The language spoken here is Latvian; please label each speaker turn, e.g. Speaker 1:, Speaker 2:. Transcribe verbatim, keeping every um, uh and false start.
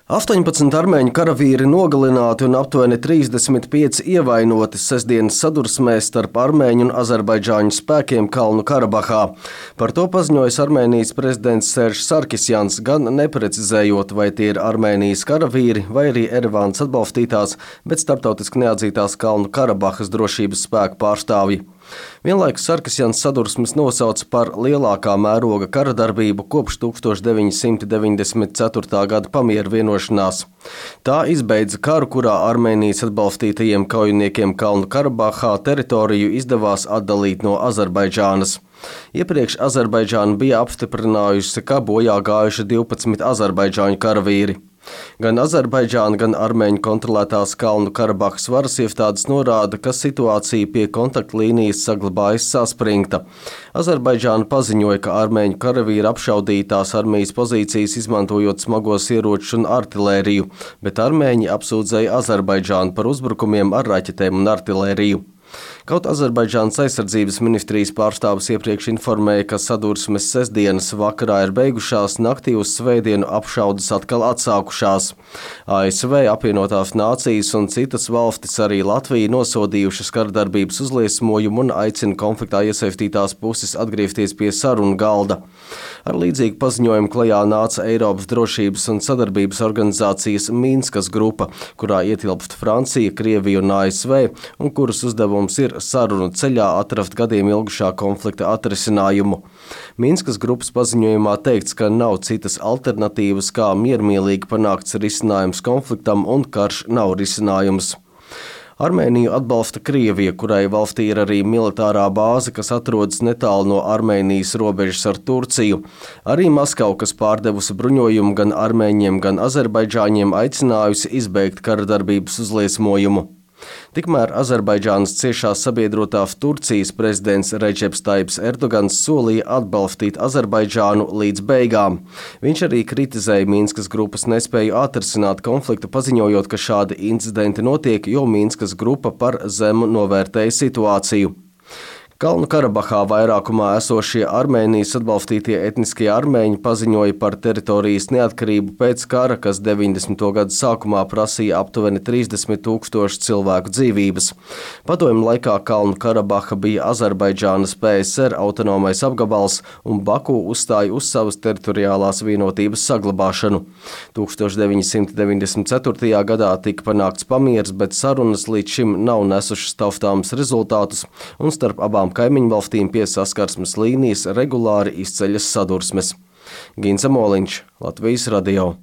Speaker 1: astoņpadsmit armēņu karavīri nogalināti un aptuveni trīsdesmit pieci ievainoti sestdienas sadursmē starp armēņu un azerbaidžāņu spēkiem Kalnu Karabahā. Par to paziņojis Armēnijas prezidents Seržs Sarkisjans, gan neprecizējot, vai tie ir Armēnijas karavīri vai arī Erevānas atbalstītās, bet starptautiski neatzītās Kalnu Karabahas drošības spēku pārstāvji. Vienlaikus Sarkisjans sadursmes nosauca par lielākā mēroga karadarbību kopš tūkstoš deviņi simti deviņdesmit ceturtā gada pamiera vienošanās. Tā izbeidza karu, kurā Armēnijas atbalstītajiem kaujiniekiem Kalnu Karabahā teritoriju izdevās atdalīt no Azerbaidžānas. Iepriekš Azerbaidžāna bija apstiprinājusi, ka bojā gājuši divpadsmit azerbaidžāņu karavīri. Gan Azerbaidžāna, gan armēņu kontrolētās Kalnu Karabahas varas iestādes norāda, ka situācija pie kontaktlīnijas saglabājas saspringta. Azerbaidžāna paziņoja, ka armēņu karavīri apšaudītās armijas pozīcijas izmantojot smagos ieročus un artilēriju, bet armēņi apsūdzēja Azerbaidžānu par uzbrukumiem ar raķetēm un artilēriju. Kaut Azerbaidžānas aizsardzības ministrijas pārstāvis iepriekš informēja, ka sadursmes sestdienas vakarā ir beigušās, naktī uz svētdienu apšaudes atkal atsākušās. A S V, apvienotās nācijas un citas valstis, arī Latvija, nosodījušas karadarbības uzliesmojumu un aicina konfliktā iesaistītās puses atgriezties pie sarunu galda. Ar līdzīgu paziņojumu klajā nāca Eiropas drošības un sadarbības organizācijas Minskas grupa, kurā ietilpst Francija, Krievija un A S V, un kuras uzdevums ir sarunu ceļā atrast gadiem ilgušā konflikta atrisinājumu. Minskas grupas paziņojumā teikts, ka nav citas alternatīvas, kā miermīlīgi panākts risinājums konfliktam, un karš nav risinājums. Armēniju atbalsta Krievija, kurai valstī ir arī militārā bāze, kas atrodas netālu no Armēnijas robežas ar Turciju. Arī Maskava, kas pārdevusi bruņojumu gan armēņiem, gan azerbaidžāņiem, aicinājusi izbeigt karadarbības uzliesmojumu. Tikmēr Azerbaidžānas ciešās sabiedrotās Turcijas prezidents Redžeps Taips Erdogans solīja atbalstīt Azerbaidžānu līdz beigām. Viņš arī kritizēja Minskas grupas nespēju atrisināt konfliktu, paziņojot, ka šādi incidenti notiek, jo Minskas grupa par zemu novērtēja situāciju. Kalnu Karabahā vairākumā esošie Armēnijas atbalstītie etniskie armēņi paziņoja par teritorijas neatkarību pēc kara, kas deviņdesmito gadu sākumā prasīja aptuveni trīsdesmit tūkstoši cilvēku dzīvības. Padomju laikā Kalnu Karabaha bija Azerbaidžānas P S R autonomais apgabals, un Baku uzstāja uz savas teritoriālās vienotības saglabāšanu. tūkstoš deviņi simti deviņdesmit ceturtajā gadā tika panākts pamieris, bet sarunas līdz šim nav nesušas taustāmus rezultātus, un starp abām kaimiņu valstīm pie saskarsmes līnijas regulāri izceļas sadursmes. Ginza Moliņš, Latvijas radio.